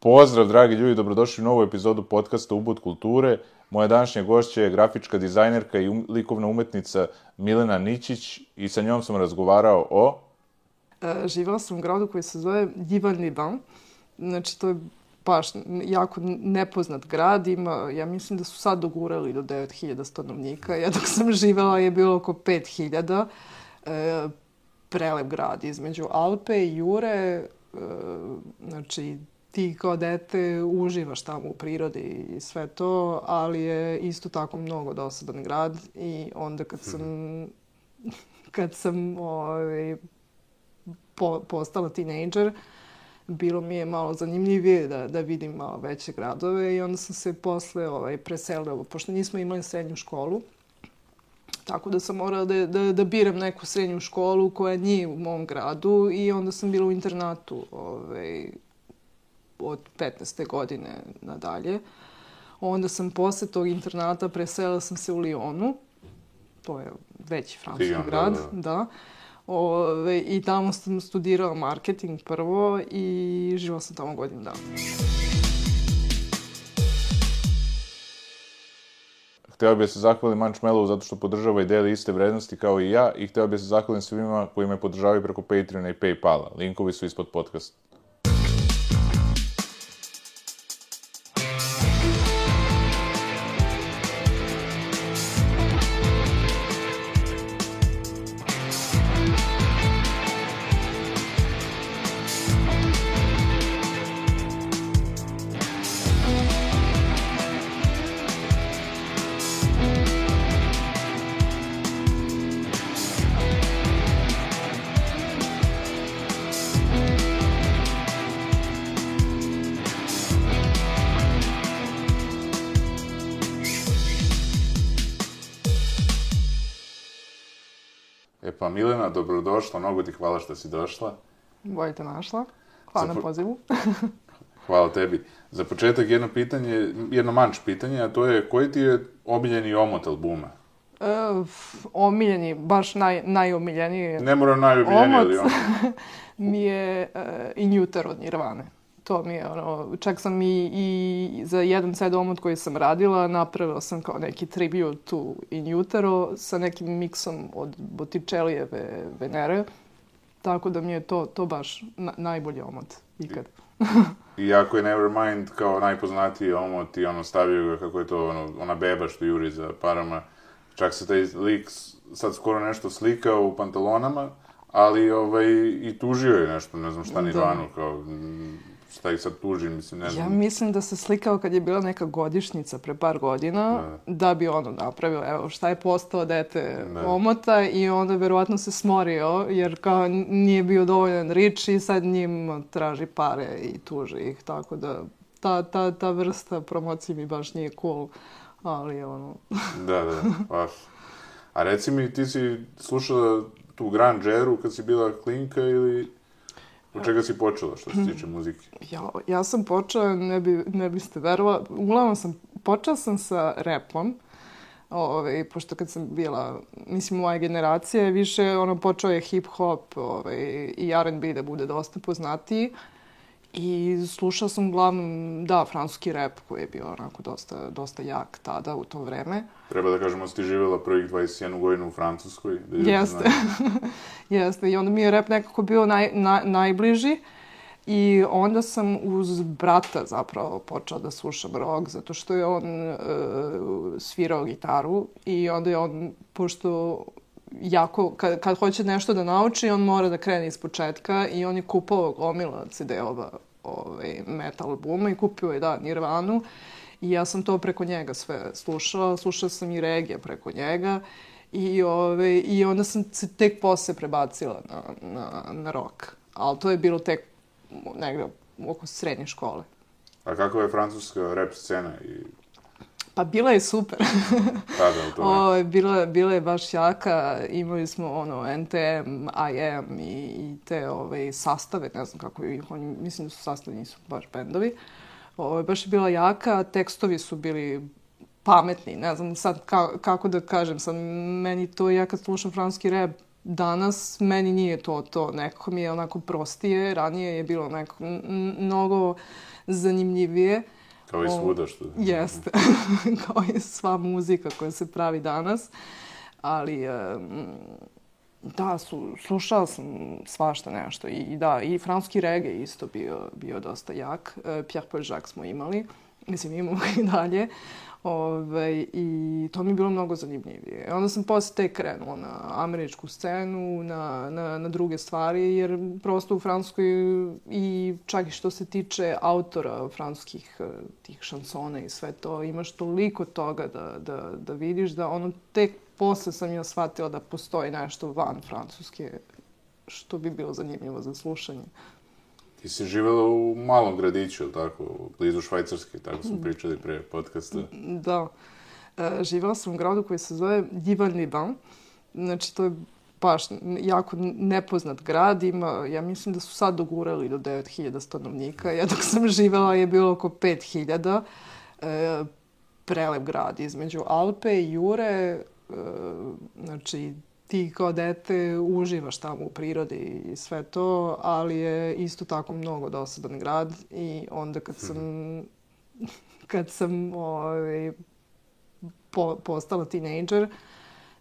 Pozdrav, dragi ljudi, dobrodošli u novu epizodu podcasta Ubud kulture. Moja današnja gošća je grafička dizajnerka i likovna umetnica Milena Ničić i sa njom sam razgovarao o... Živjela sam u gradu koji se zove Divan. Znači, to je baš jako nepoznat grad. Ima, ja mislim da su sad dogurali do 9000 stanovnika. Ja dok sam živjela je bilo oko 5000. Prelep grad između Alpe i Jure. Znači, ti kao dete uživaš tamo u prirodi i sve to, ali je isto tako mnogo dosadan grad i onda kad sam postala tinejdžer, bilo mi je malo zanimljivije da vidim malo veće gradove i onda sam se posle preselila, pošto nismo imali srednju školu, tako da sam morala da biram neku srednju školu koja nije u mom gradu i onda sam bila u internatu od 15. godine nadalje. Onda sam posle tog internata preselila sam se u Lyonu. To je veći francuski grad. Da. I tamo sam studirala marketing prvo i živjela sam tamo godinu dana. Hteo bih se zahvalim Mančmelovu zato što podržava i deli iste vrednosti kao i ja i hteo bih se zahvalim svima koji me podržavaju preko Patreona i Paypala. Linkovi su ispod podcasta. Pa Milena, dobrodošla, mnogo ti hvala što si došla. Bolje te našla. Hvala na pozivu. Hvala tebi. Za početak jedno manč pitanje, a to je koji ti je omiljeni omot albuma? Omiljeni, baš najomiljeniji ne mora najomiljeniji, ali ono. Mi je In Utero od Nirvane. To mi je čak sam i za jedan sad omot koji sam radila, napravila sam kao neki tribute to In Utero sa nekim miksom od Botticelijeve Venere. Tako da mi je to baš najbolji omot ikad. Iako je Nevermind kao najpoznatiji omot i stavio ga kako je to ona beba što juri za parama. Čak se taj lik sad skoro nešto slikao u pantalonama, ali i tužio je nešto, ne znam šta Nirvanu kao... Šta ih sad tuži, mislim, ne znam. Ja mislim da se slikao kad je bila neka godišnjica pre par godina, da bi napravio, evo, šta je postao dete omota i onda verovatno se smorio, jer kao nije bio dovoljan rič i sad njim traži pare i tuži ih, tako da ta vrsta promocije mi baš nije cool, ali Da, baš. A reci mi, ti si slušala tu Grand Jeru kad si bila klinka ili... Od čega si počela što se tiče muzike? Ja sam počela, ne biste verovali, uglavnom počela sam sa rapom, pošto kad sam bila, mislim, moja generacija je više, počeo je hip-hop i R&B da bude dosta poznatiji. I slušala sam uglavnom, francuski rap koji je bio onako dosta jak tada u to vreme. Treba da kažemo da si ti živjela prvih 21 godinu u Francuskoj. Jeste. Jeste. I onda mi je rap nekako bio najbliži. I onda sam uz brata zapravo počela da slušam rock, zato što je on svirao gitaru i onda je on, pošto jako, kad hoće nešto da nauči, on mora da krene iz početka i on je kupao gomila CD-ova metal albuma i kupio je, Nirvanu. I ja sam to preko njega sve slušala. Slušala sam i regije preko njega. I onda sam se tek posle prebacila na rock. Ali to je bilo tek negde oko srednje škole. A kakva je francuska rap scena? Pa bila je super. Bila je baš jaka. Imali smo NTM, IM i te sastave, ne znam kako ih, mislim da su sastavi, nisu baš bendovi. Baš je bila jaka, tekstovi su bili pametni, ne znam sad kako da kažem, sad meni to, ja kad slušam francuski rap danas, meni nije to, nekako mi je onako prostije, ranije je bilo mnogo zanimljivije. Kao i svuda što... Jeste, kao i sva muzika koja se pravi danas. Ali, da, slušala sam svašta nešto. I da, i francuski reggae isto bio dosta jak. Pierre Paul Jacques smo imali. Mislim, imamo i dalje. I to mi je bilo mnogo zanimljivije. Onda sam posle tek krenula na američku scenu, na druge stvari, jer prosto u Francuskoj i čak i što se tiče autora francuskih tih šansona i sve to, imaš toliko toga da vidiš da ono tek posle sam ja shvatila da postoji nešto van Francuske što bi bilo zanimljivo za slušanje. Ti si živjela u malom gradiću, ili tako, blizu Švajcarske, tako smo pričali pre podcasta. Da. Živjela sam u gradu koji se zove Divan-Liban. Znači, to je baš jako nepoznat grad. Ima, ja mislim da su sad dogurali do 9000 stanovnika. Ja dok sam živjela je bilo oko 5000. Prelep grad između Alpe i Jure. Znači, ti kao dete uživaš tamo u prirodi i sve to, ali je isto tako mnogo dosadan grad i onda kad sam postala tinejdžer,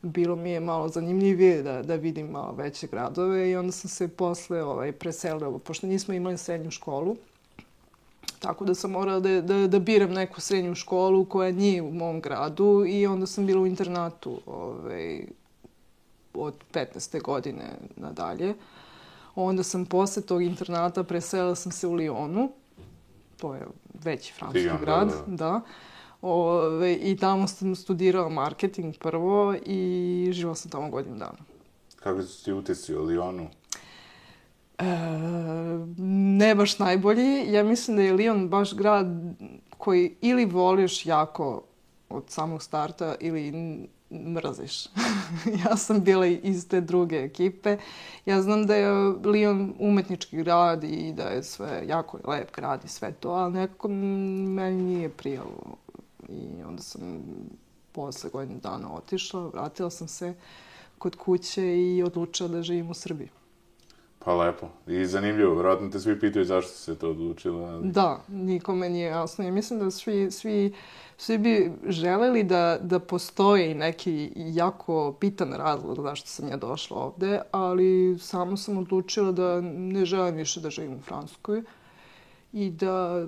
bilo mi je malo zanimljivije da vidim malo veće gradove i onda sam se posle preselila, pošto nismo imali srednju školu, tako da sam morala da biram neku srednju školu koja nije u mom gradu i onda sam bila u internatu od 15. godine nadalje. Onda sam posle tog internata preselila sam se u Lyonu. To je veći francuski grad. Da. I tamo sam studirala marketing prvo i živjela sam tamo godinu dana. Kako su ti utisci o Lyonu? Ne baš najbolji. Ja mislim da je Lyon baš grad koji ili voliš jako od samog starta ili mrziš. Ja sam bila iz te druge ekipe. Ja znam da je Lyon umetnički grad i da je sve jako lep grad i sve to, ali nekako meni nije prijalo. I onda sam posle godinu dana otišla, vratila sam se kod kuće i odlučila da živim u Srbiji. Pa lepo. I zanimljivo. Vjerojatno te svi pitaju zašto si se to odlučila. Da, nikome nije jasno. Ja mislim da svi bi želeli da postoji neki jako bitan razlog zašto sam ja došla ovde, ali samo sam odlučila da ne želim više da živim u Francuskoj i da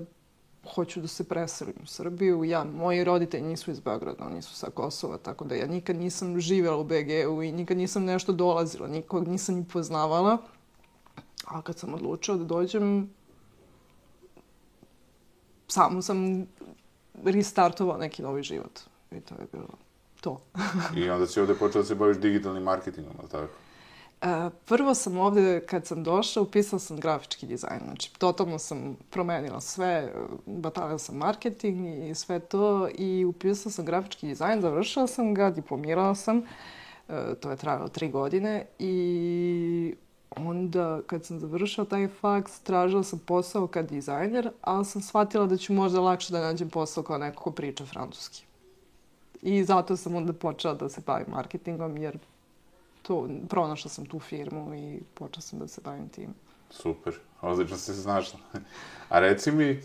hoću da se preselim u Srbiju. Moji roditelji nisu iz Beograda, oni su sa Kosova, tako da ja nikad nisam živjela u BG-u i nikad nisam nešto dolazila, nikog nisam ni poznavala. A kad sam odlučila da dođem, samo sam restartovala neki novi život. I to je bilo to. I onda si ovde počela da se baviš digitalnim marketingom, ali tako? Prvo sam ovde, kad sam došla, upisala sam grafički dizajn. Znači, totalno sam promenila sve, batalila sam marketing i sve to i upisala sam grafički dizajn, završila sam ga, diplomirala sam. To je trajalo 3 godine i onda, kad sam završila taj faks, tražila sam posao kao dizajner, ali sam shvatila da ću možda lakše da nađem posao kao neko ko priča francuski. I zato sam onda počela da se bavim marketingom, jer pronašla sam tu firmu i počela sam da se bavim tim. Super, odlično si se znašla. A reci mi,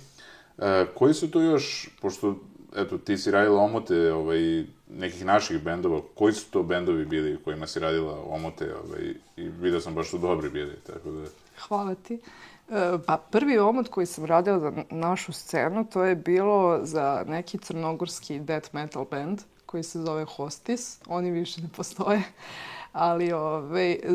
koji su tu još, pošto, eto, ti si radila omote nekih naših bendova, koji su to bendovi bili kojima si radila omote i vidio sam baš su dobri bili, tako da... Hvala ti. Pa prvi omot koji sam radila za našu scenu, to je bilo za neki crnogorski death metal band koji se zove Hostis. Oni više ne postoje. Ali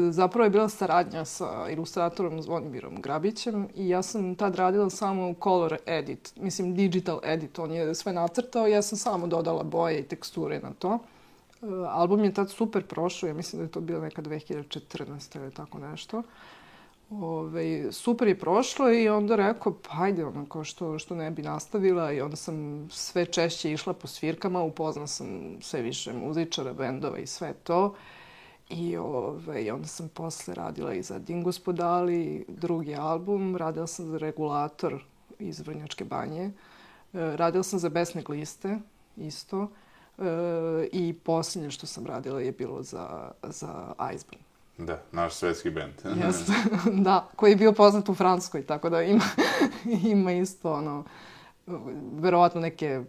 zapravo je bila saradnja sa ilustratorom Zvonimirom Grabićem i ja sam tad radila samo color edit, mislim digital edit, on je sve nacrtao i ja sam samo dodala boje i teksture na to. Album je tad super prošao, ja mislim da je to bilo neka 2014. ili tako nešto. Super je prošlo i onda rekao, pa ajde, onako, što ne bi nastavila i onda sam sve češće išla po svirkama, upoznala sam sve više muzičara, bendova i sve to. I onda sam posle radila i za Dingospodali, drugi album, radila sam za Regulator iz Vrnjačke Banje, radila sam za Besne gliste, isto, i posljednje što sam radila je bilo za Iceburn. Da, naš svetski bend. Jeste, da, koji je bio poznat u Francuskoj, tako da ima isto, ono, verovatno neke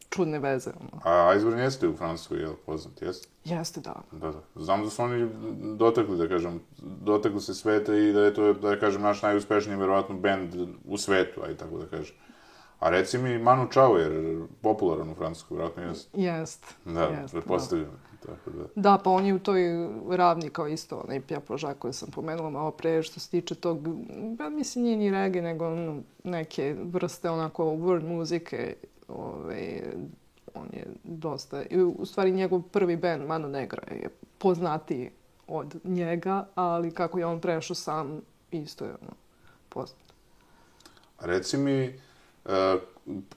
čudne veze. Ono. A Iceburn jeste u Francuskoj, je li poznat, jeste? Jeste, da. Da. Znam da su oni dotakli, da kažem, dotakli se sveta i da je to, da kažem, naš najuspešniji, verovatno, bend u svetu, aj tako da kažem. A reci mi, Manu Chao je popularan u Francuskoj, vjerojatno jeste. Jest. Da, pretpostavljam. Tako da. Da, pa on je u toj ravni kao isto, onaj pjapožak koji sam pomenula malo pre, što se tiče tog, mislim, nije ni reggae, nego neke vrste onako world muzike, on je dosta, u stvari njegov prvi band, Mano Negra, je poznatiji od njega, ali kako je on prešao sam, isto je poznat. Reci mi,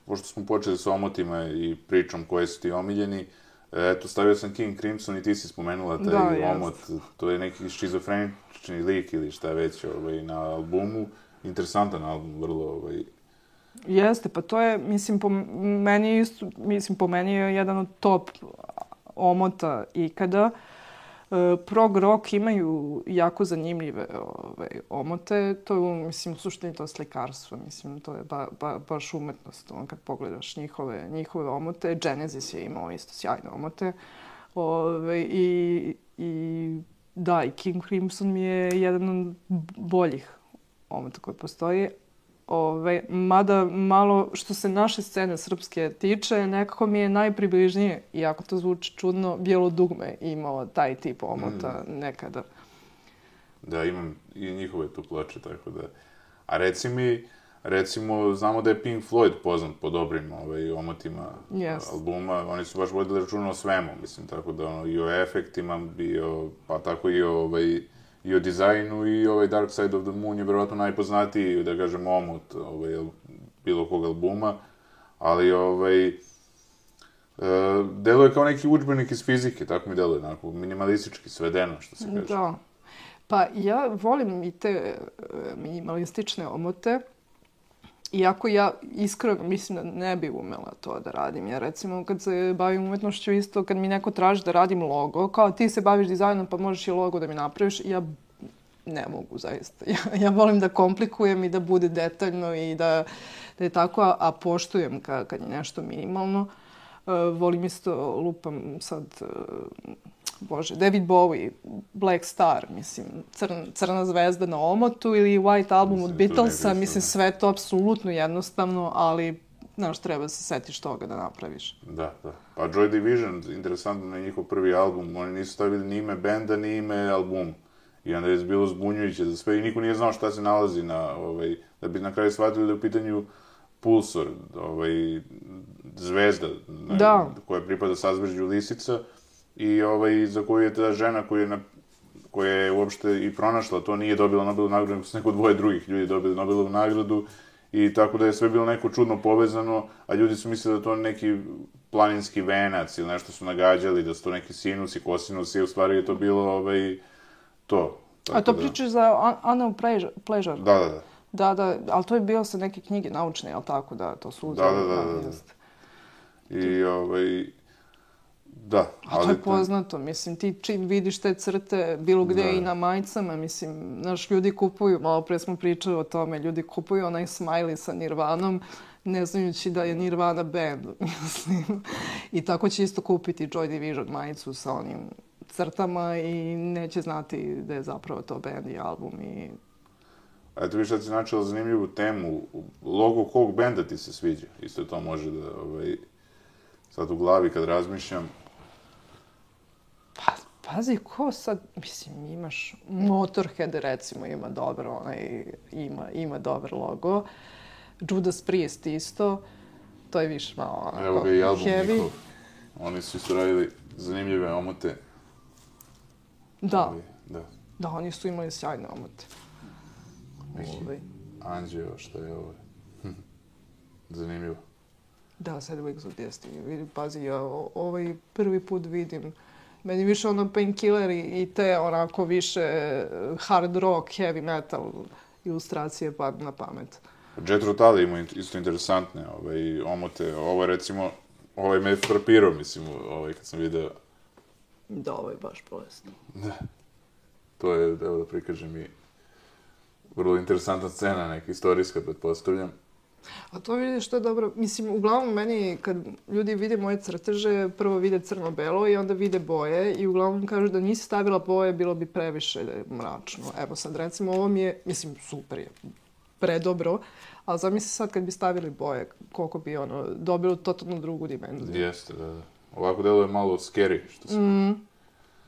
pošto smo počeli sa omotima i pričom koje su ti omiljeni, eto, stavio sam King Crimson i ti si spomenula taj omot, to je neki šizofrenični lik ili šta već na albumu, interesantan album, vrlo Jeste, pa to je, mislim, po meni je jedan od top omota ikada. Prog rock imaju jako zanimljive omote, to je, mislim, u suštini to slikarstvo, mislim, to je baš umetnost, kad pogledaš njihove omote. Genesis je imao isto sjajne omote. Da, i King Crimson mi je jedan od boljih omota koji postoji. Mada malo što se naše scene srpske tiče, nekako mi je najpribližnije, iako to zvuči čudno, Bijelo dugme imao taj tip omota nekada. Da, imam i njihove tu ploče, tako da. A reci mi, recimo, znamo da je Pink Floyd poznat po dobrim omotima albuma, oni su baš vodili računa o svemu, mislim, tako da i o efektima, pa tako i o dizajnu i Dark Side of the Moon je verovatno najpoznatiji, da kažem, omot bilo kog albuma, ali deluje kao neki udžbenik iz fizike, tako mi deluje, onako, minimalistički, svedeno, što se kaže. Da. Pa ja volim i te minimalistične omote, iako ja iskreno mislim da ne bi umela to da radim. Ja recimo kad se bavim umetnošću isto, kad mi neko traži da radim logo, kao ti se baviš dizajnom pa možeš i logo da mi napraviš, ja ne mogu zaista. Ja volim da komplikujem i da bude detaljno i da je tako, a poštujem kad je nešto minimalno. Volim isto, lupam sad, David Bowie, Black Star, mislim, crna zvezda na omotu ili White Album od Beatlesa, mislim, sve to apsolutno jednostavno, ali, znaš, treba se setiš toga da napraviš. Da. Pa Joy Division, interesantno, je njihov prvi album, oni nisu stavili ni ime benda, ni ime albuma. I onda je bilo zbunjujuće za sve i niko nije znao šta se nalazi da bi na kraju shvatili da je u pitanju Pulsor, zvezda koja pripada sazvežđu Lisica i za koju je ta žena koja je uopšte i pronašla, to nije dobila Nobelovu nagradu, nego su neko dvoje drugih ljudi dobili Nobelovu nagradu i tako da je sve bilo neko čudno povezano, a ljudi su mislili da to neki planinski venac ili nešto su nagađali, da su to neki sinus i kosinus i u stvari je to bilo to. A to pričaš za Unknown Pleasure? Da. Da, ali to je bilo sa neke knjige naučne, jel tako, da, to su uzeli. Da. A to je poznato, mislim, ti čim vidiš te crte bilo gde i na majicama, mislim, naš ljudi kupuju, malo pre smo pričali o tome, ljudi kupuju onaj smiley sa Nirvanom, ne znajući da je Nirvana band, mislim. I tako će isto kupiti Joy Division majicu sa onim crtama i neće znati da je zapravo to band i album i... Eto viš sad si načela zanimljivu temu. Logo kog benda ti se sviđa? Isto to može da, sad u glavi kad razmišljam. Pa, pazi, ko sad, mislim, imaš Motorhead, recimo, ima dobro, ima dobar logo. Judas Priest isto, to je više malo onako heavy. Evo ga i album njihov. Oni su isto radili zanimljive omote. Da, oni su imali sjajne omote. Anđeo, šta je ovo? Zanimljivo. Da, Sad Weeks of Destiny. Pazi, ja prvi put vidim. Meni više Painkiller i te onako više hard rock, heavy metal ilustracije padnu na pamet. Jethro Tull ima isto interesantne omote. Ovo recimo, me frapirao, mislim, kad sam video. Da, ovo je baš bolesno. Da. to je, evo da prikažem i vrlo interesantna scena, neka istorijska, pretpostavljam. A to vidiš što je dobro. Mislim, uglavnom meni kad ljudi vide moje crteže, prvo vide crno-belo i onda vide boje i uglavnom kažu da nisi stavila boje, bilo bi previše mračno. Evo sad recimo ovo mi je, mislim, super je, predobro, ali zamisli sad kad bi stavili boje, koliko bi dobilo totalno drugu dimenziju. Jeste, da. Ovako deluje malo scary, što se...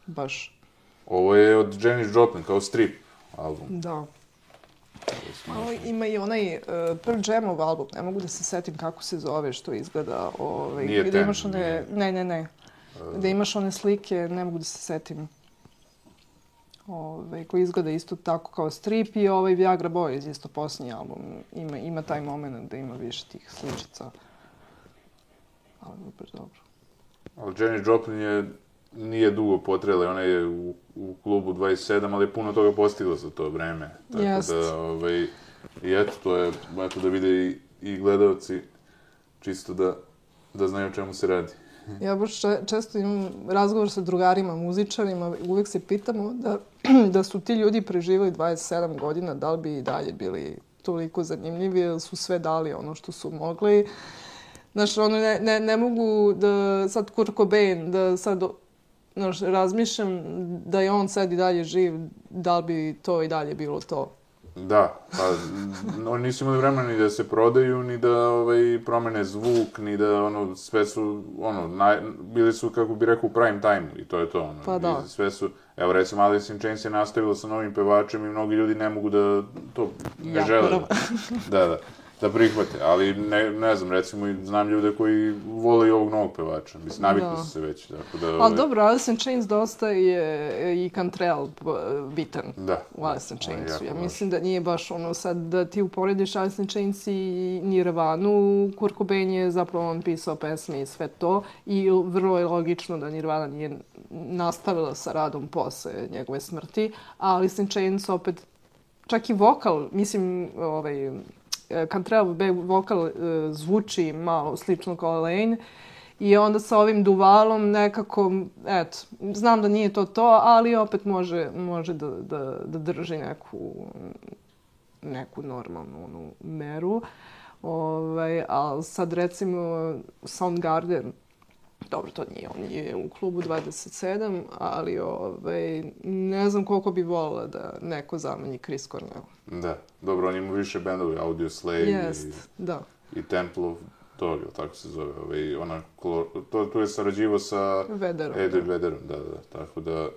Baš. Ovo je od Janis Joplin, kao strip album. Da. Malo ima i onaj Pearl Jamov album, ne mogu da se setim kako se zove, što izgleda. Nije gde Ten. imaš one, ne. Gde imaš one slike, ne mogu da se setim. Koji izgleda isto tako kao strip i Viagra Boys, isto posljednji album. Ima taj moment da ima više tih sličica. Ali baš dobro. Ali Janis Joplin nije dugo potrela, ona je u klubu 27, ali je puno toga postigla za to vreme. Tako da, i eto, to je, eto da vide i gledalci, čisto da znaju o čemu se radi. Ja baš često imam razgovor sa drugarima, muzičarima, uvijek se pitamo da su ti ljudi preživali 27 godina, da li bi i dalje bili toliko zanimljivi, jer su sve dali ono što su mogli. Znaš, ne mogu da sad Kurt Cobain, da sad razmišljam da je on sad i dalje živ, da li bi to i dalje bilo to. Da, pa oni nisu imali vremena ni da se prodaju, ni da promene zvuk, ni da sve su, bili su, kako bi rekao, u prime time-u i to je to. Pa da. Sve su, evo recimo Alice in Chains je nastavila sa novim pevačem i mnogi ljudi ne mogu da to ne žele. Da prihvate, ali ne znam, recimo znam ljude koji vole i ovog novog pevača, mislim, navikli su se već, tako da... Ali dobro, Alice in Chains dosta je i Cantrell bitan u Alice in Chainsu. Ja mislim da nije baš sad da ti uporediš Alice in Chains i Nirvanu, Kurt Cobain je zapravo on pisao pesme i sve to i vrlo je logično da Nirvana nije nastavila sa radom posle njegove smrti, a Alice in Chains opet, čak i vokal, mislim, Cantrell vokal zvuči malo slično kao Elaine i onda sa ovim duvalom nekako, eto, znam da nije to, ali opet može da drži neku normalnu meru. Ali sad recimo Soundgarden, dobro, to nije, on je u klubu 27, ali ne znam koliko bi volila da neko zameni Chris Cornell. Da, dobro, on ima više bendova, Audioslave i Temple of Dog, tako se zove. Tu je sarađivao sa Eddie Vedderom, da, tako da...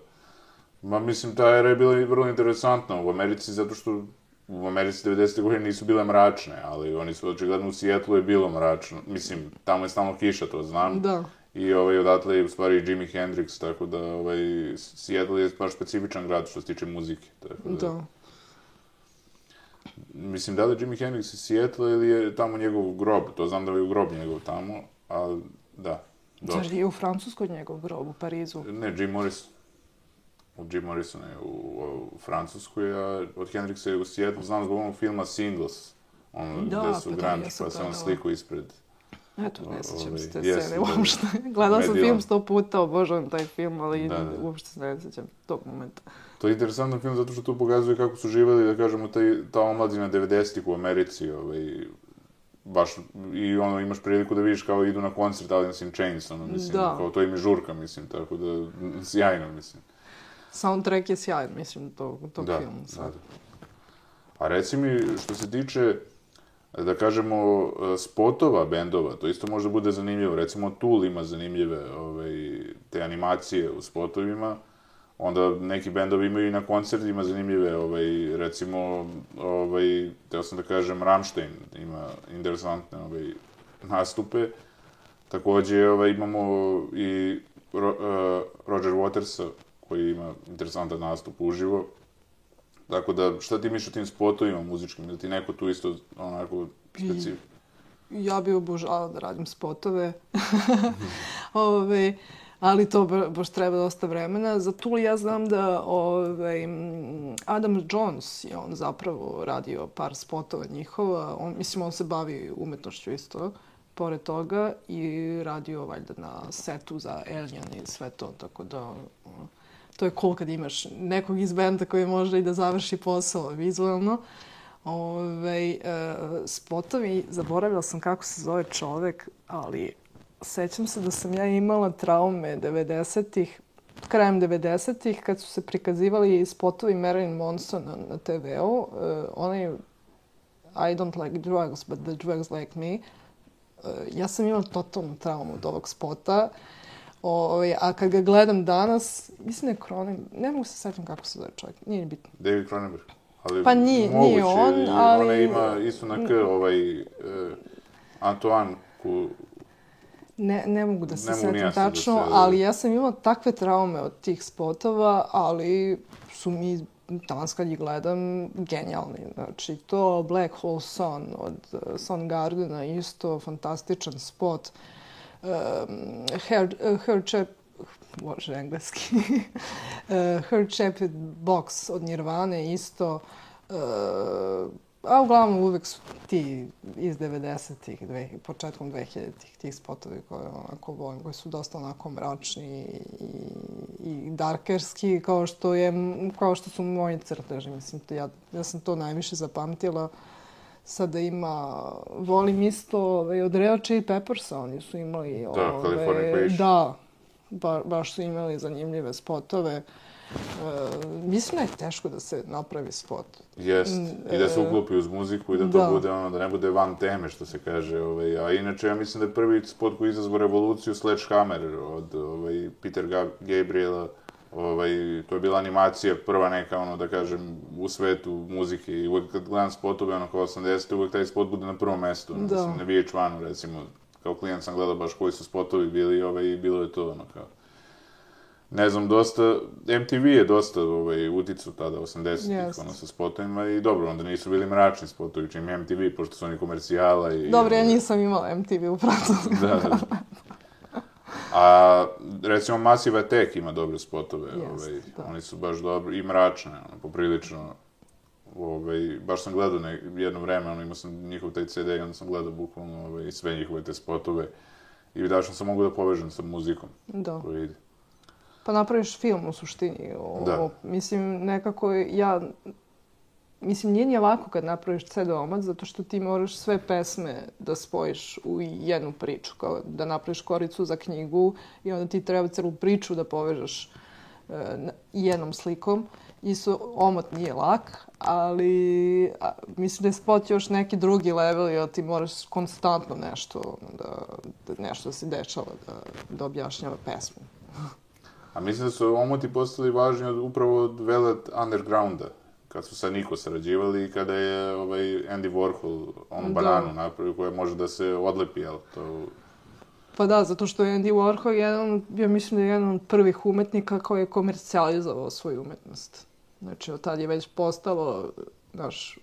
Mislim, ta era je bila vrlo interesantna u Americi, zato što u Americi 90. godine nisu bile mračne, ali oni su očigledno u Seattlu je bilo mračno. Mislim, tamo je stalno kiša, to znam. Da. I odatle je u stvari Jimi Hendrix, tako da Seattle je baš specifičan grad što se tiče muzike. Da. Mislim, da li je Jimi Hendrix iz Seattle ili je tamo njegov grob? To znam da je u grob njegov tamo, ali da. Zar je u Francuskoj njegov grob, u Parizu? Ne, Jim Morrison. Od Jim Morrisona je u Francuskoj, a od Hendrixa je u Seattle. Znam zbog onog filma Singles, gde su grunge, pa se on sliku ispred... Eto, ne sjećam se te scene uopšte. Gledala sam film 100 puta, obožavam taj film, ali uopšte se ne sjećam tog momenta. To je interesantan film zato što tu pokazuje kako su živjeli, da kažemo, ta omladina 90-ih u Americi, baš, i imaš priliku da vidiš kao idu na koncert Alice in Chains, mislim, kao to im je žurka, mislim, tako da, sjajno, mislim. Soundtrack je sjajan, mislim, tog filmu. Da. A reci mi, što se tiče, da kažemo, spotova bendova, to isto može bude zanimljivo. Recimo, Tool ima zanimljive te animacije u spotovima, onda neki bendovi imaju i na koncertima zanimljive, recimo, teo sam da kažem, Rammstein ima interesantne nastupe. Takođe, imamo i Roger Watersa, koji ima interesantan nastup uživo. Tako da, šta ti misliš o tim spotovima muzičkim? Da ti neko tu isto onako specifično? Ja bih obožavala da radim spotove. Ali to baš treba dosta vremena. Za Tool ja znam da Adam Jones je on zapravo radio par spotova njihova. On se bavi umetnošću isto, pored toga, i radio valjda na setu za Alien i sve to, tako da... to je cool kad imaš nekog iz benda koji može i da završi posao vizualno. Spotovi, zaboravila sam kako se zove čovek, ali sećam se da sam ja imala traume 90-ih, krajem 90-ih, kad su se prikazivali spotovi Marilyn Mansona na TV-u. Onaj I don't like drugs, but the drugs like me. Ja sam imala totalnu traumu od ovog spota. A kad ga gledam danas, mislim da je Cronenberg, ne mogu se sećam kako se zove čovjek, nije bitno. David Cronenberg. Ali pa nije on, ali... Ona ima isto na K, Antoine, Ne mogu da se setim tačno, ali ja sam imala takve traume od tih spotova, ali su mi danas kad ih gledam genijalni. Znači, to Black Hole Sun od Soundgardena, isto fantastičan spot. Bože, engleski. Her Chaped Box od Nirvane, isto. A uglavnom uvek su ti iz 90-ih, početkom 2000-ih, tih spotovi koje onako volim, koji su dosta onako mračni i darkerski, kao što su moji crteži. Mislim, ja sam to najviše zapamtila. Sada volim isto od Red Hot Chili Peppersa, oni su imali... Da, Californication. Da, baš su imali zanimljive spotove. Mislim da je teško da se napravi spot. Jest, i da se uklopi uz muziku i da to bude da ne bude van teme, što se kaže. A inače, ja mislim da je prvi spot koji izazvao revoluciju Sledgehammer od Peter Gabriela. To je bila animacija prva neka, da kažem, u svetu muzike. I uvek kad gledam spotove, kao 80. uvek taj spot bude na prvom mestu. Mislim, na VH1-u, recimo, kao klijent sam gledao baš koji su spotovi bili i bilo je to, kao... Ne znam, MTV je dosta uticao tada, 80-ih, sa spotovima i dobro, onda nisu bili mračni spotovi, čim MTV, pošto su oni komercijala i... Dobro, ja nisam imala MTV u Francusku. Da. A, recimo, Massive Attack ima dobre spotove, oni su baš dobri i mračne, poprilično. Baš sam gledao jedno vreme, imao sam njihov taj CD i onda sam gledao bukvalno sve njihove te spotove i vidio sam mogu da povežem sa muzikom koja ide. Pa napraviš film u suštini. Mislim, nekako nije ni lako kad napraviš CD-omac, zato što ti moraš sve pesme da spojiš u jednu priču, kao da napraviš koricu za knjigu i onda ti treba celu priču da povežeš jednom slikom. Isto, omot nije lak, ali mislim da je spot još neki drugi level, jer ti moraš konstantno nešto da se dešava, da objašnjava pesmu. A mislim da su omoti postali važni upravo od Velvet Undergrounda, kad su sa Niko sarađivali i kada je Andy Warhol onu bananu napravio koja može da se odlepi, jel to... Pa da, zato što je Andy Warhol ja mislim da je jedan od prvih umetnika koji je komercijalizovao svoju umetnost. Znači, od tad je već postalo,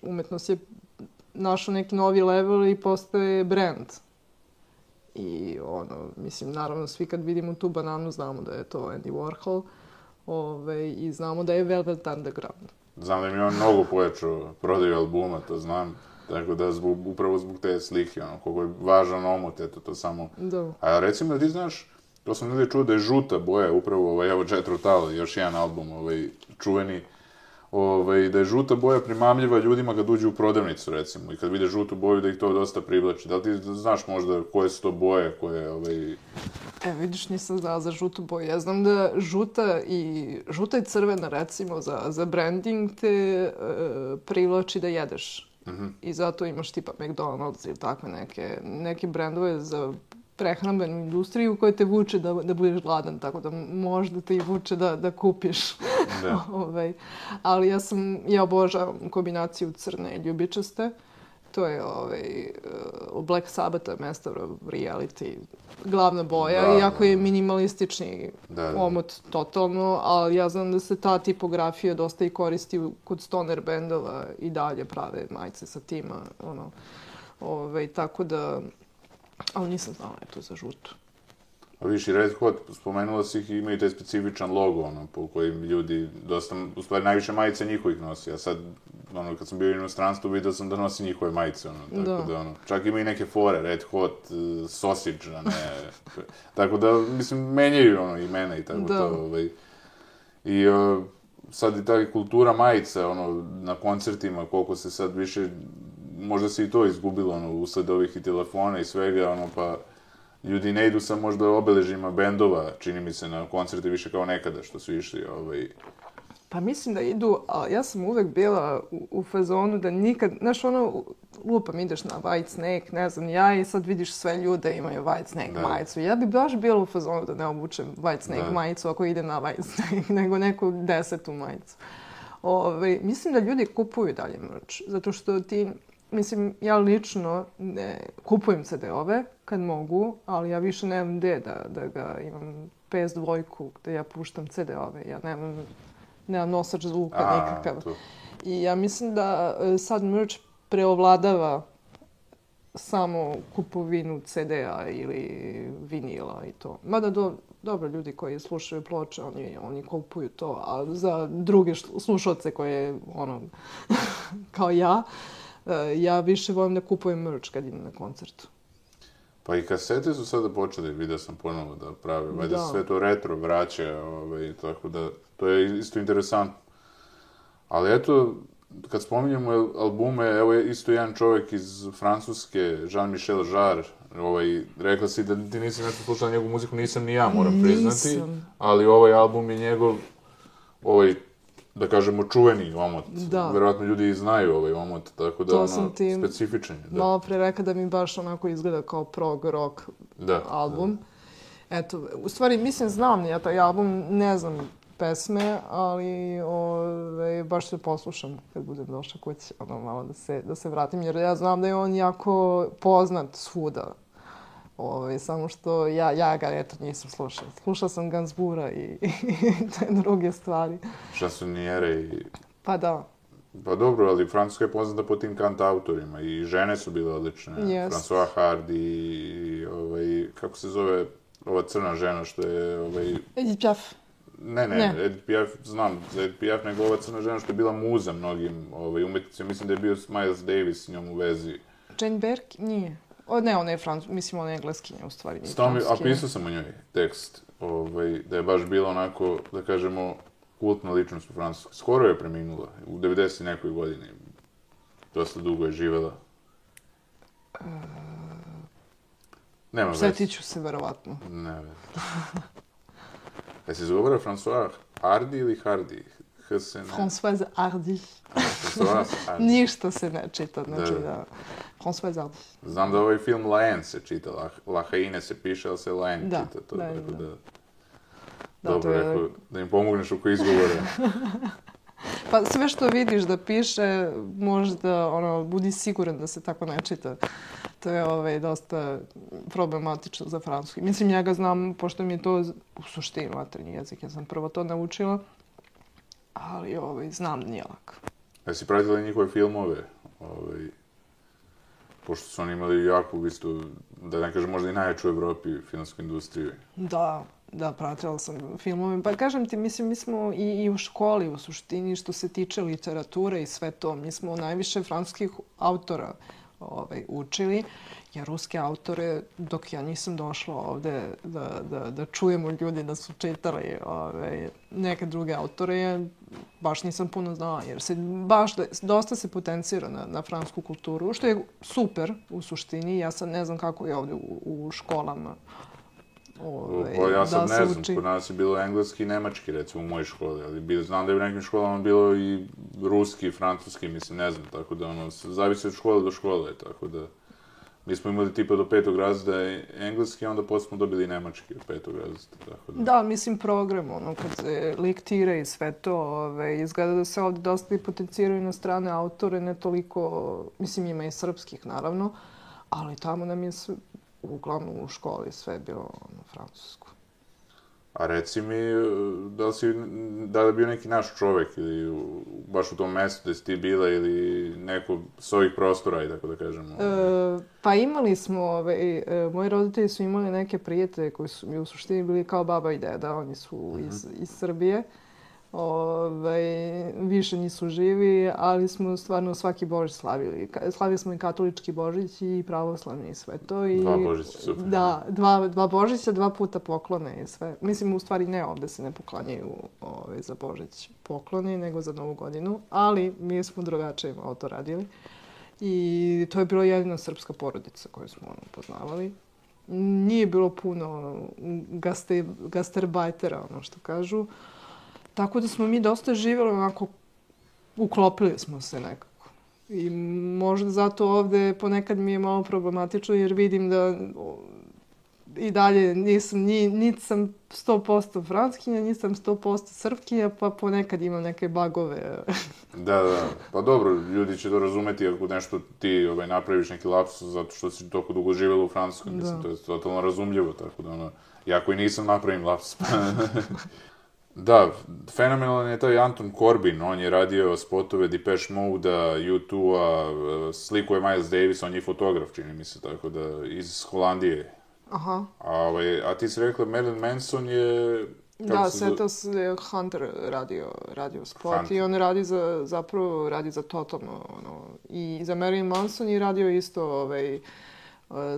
umetnost je našao neki novi level i postaje brand. I mislim, naravno, svi kad vidimo tu bananu znamo da je to Andy Warhol i znamo da je Velvet Underground. Znam da im je on mnogo pojačao prodaju albuma, to znam. Tako da, upravo zbog te slike, koliko je važan omot, eto, to samo... Da. A recimo da ti znaš, to sam negdje čuo da je žuta boja, upravo evo Jethro Tull, još jedan album čuveni, da je žuta boja primamljiva ljudima kad uđu u prodavnicu, recimo, i kad vide žutu boju da ih to dosta privlači. Da li ti znaš možda koje su to boje, koje... Vidiš, nisam znala za žutu boju. Ja znam da žuta i crvena, recimo, za branding te privlači da jedeš. I zato imaš tipa McDonald's ili takve neke brendove za prehrambenu industriju koje te vuče da budeš gladan, tako da možda te i vuče da kupiš. Ali ja obožavam kombinaciju crne i ljubičaste. To je Black Sabbath, Master of Reality, glavna boja, iako je minimalistični omot totalno, ali ja znam da se ta tipografija dosta i koristi kod stoner bendova i dalje prave majice sa tima, tako da, ali nisam znala to za žutu. A viš i Red Hot, spomenula si ih i imaju taj specifičan logo, po kojim ljudi dosta, u stvari najviše majice njihovih nosi, a sad, kad sam bio u inostranstvu, vidio sam da nosi njihove majice, tako da, čak ima i neke fore, Red Hot, Sausage, tako da, mislim, menjaju imena i tako to, I sad i ta kultura majica, na koncertima, koliko se sad više, možda se i to izgubilo, usled ovih i telefona i svega, pa ljudi ne idu sa možda obeležima bendova, čini mi se, na koncerte više kao nekada, što su išli, Pa mislim da idu, ali ja sam uvek bila u fazonu da nikad, znaš, lupam, ideš na Whitesnake, ne znam, ja i sad vidiš sve ljude imaju Whitesnake majicu. Ja bi baš bila u fazonu da ne obučem Whitesnake majicu ako idem na Whitesnake, nego neku 10. majicu. Mislim da ljudi kupuju dalje merch, zato što mislim, ja lično ne kupujem CD-ove kad mogu, ali ja više nemam gde da ga imam PS2 gde ja puštam CD-ove. Ja nemam nosač zvuka nikakav. I ja mislim da sad merch preovladava samo kupovinu CD-a ili vinila i to. Mada dobro, ljudi koji slušaju ploče, oni kupuju to, a za druge slušalce koje, kao ja više volim da kupujem merch kad idem na koncertu. Pa i kasete su sada počeli, vidio sam ponovo da prave, valjda sve to retro vraća, tako da to je isto interesantno. Ali eto, kad spominjemo albume, evo je isto jedan čovjek iz Francuske, Jean-Michel Jarre, rekla si da ti nisi nešto slušala njegovu muziku, nisam ni ja, moram priznati. Nisam. Ali ovaj album je njegov, da kažemo, čuveni omot. Da. Verovatno ljudi i znaju ovaj omot, tako da specifičan je. Malo pre rekla da mi baš onako izgleda kao prog rock album. Eto, u stvari, mislim, znam ja taj album, ne znam pesme, ali baš se poslušam kad budem došla kući, malo da se vratim, jer ja znam da je on jako poznat svuda. Samo što ja ga nisam slušala. Slušala sam Gainsbourga i te druge stvari. Šansonijere i... Pa da. Pa dobro, ali Francuska je poznata po tim kantautorima i žene su bile odlične. François Hardy i kako se zove ova crna žena što je... Edith Piaf. Ne, Edith Piaf, znam za Edith Piaf, nego ova crna žena što je bila muza mnogim umetnicima. Mislim da je bio Miles Davis s njom u vezi. Jane Birkin? Nije. Ne, ona je mislim, ona je engleskinja, u stvari. A pisao sam o njoj tekst, da je baš bila onako, da kažemo, kultna ličnost u Francuskoj. Skoro je preminula, u 90 nekoj godini. Dosta dugo je živela. Nema veze. Sjetit ću se, verovatno. Ne veze. Jesi izgovorio François Hardy ili Hardy? Françoise Hardy. Ništa se ne čita, znači da... Françoise Hardy. Znam da ovaj film La Haine se čita, La Haine se piše, ali se La Haine čita. Da. Dobro, rekao, da im pomogneš oko izgovora. Pa sve što vidiš da piše, možda, budi siguran da se tako ne čita. To je dosta problematično za francuski. Mislim, ja ga znam, pošto mi je to u suštini maternji jezik, ja sam prvo to naučila, ali znam da nije lako. Jesi pratila njihove filmove? Pošto su oni imali jako, isto, da ne kažem, možda i najjaču u Evropi filmsku industriju. Da, pratila sam filmove. Pa kažem ti, mislim, mi smo i u školi, u suštini, što se tiče literature i sve to, mi smo najviše francuskih autora učili, jer ruske autore, dok ja nisam došla ovde da čujemo ljudi da su čitali neke druge autore, baš nisam puno znala, jer se baš dosta se potencira na francusku kulturu, što je super u suštini. Ja sad ne znam kako je ovde u školama ja sad ne znam, kod nas je bilo engleski i nemački, recimo, u mojoj školi, ali znam da je u nekim školama bilo i ruski i francuski, mislim, ne znam, tako da, zavisi od škole do škole, tako da, mi smo imali tipa do 5. razreda engleski, a onda posle smo dobili i nemački od 5. razreda, tako da. Da, mislim, program, kad se lektira i sve to, izgleda da se ovde dosta i potenciraju na strane autore, ne toliko, mislim, ima i srpskih, naravno, ali tamo nam je uglavnom u školi sve bilo na francusku. A reci mi, da li je bio neki naš čovek ili baš u tom mestu gde si ti bila ili neko s ovih prostora, i tako da kažemo? Pa imali smo, moji roditelji su imali neke prijatelje koji su mi u suštini bili kao baba i deda, oni su iz Srbije. više nisu živi, ali smo stvarno svaki Božić slavili. Slavili smo i katolički Božić i pravoslavni i sve to. I, dva Božića, super. Da, dva Božića, 2 puta poklone i sve. Mislim, u stvari ne, ovde se ne poklanjaju za Božić pokloni, nego za Novu godinu, ali mi smo drugačije malo to radili. I to je bila jedina srpska porodica koju smo poznavali. Nije bilo puno gastarbajtera, ono što kažu. Tako da smo mi dosta živjeli onako, uklopili smo se nekako. I možda zato ovde ponekad mi je malo problematično jer vidim da i dalje niti sam 100% franskinja, nisam 100% srpkinja, pa ponekad imam neke bagove. Da. Pa dobro, ljudi će to razumeti ako nešto ti napraviš neki lapsus zato što si toliko dugo živjela u Francuskoj. Mislim, to je totalno razumljivo, tako da ja koji nisam napravim lapsus. Da, fenomenalan je taj Anton Corbijn, on je radio spotove Depeche Mode-a, U2-a, slikuje Miles Davis, on je fotograf, čini mi se, tako da, iz Holandije. Aha. A ti si rekla, Marilyn Manson je... Da, Setas je Hunter radio spot Hunter. I on radi zapravo za totalno, i za Marilyn Manson je radio isto,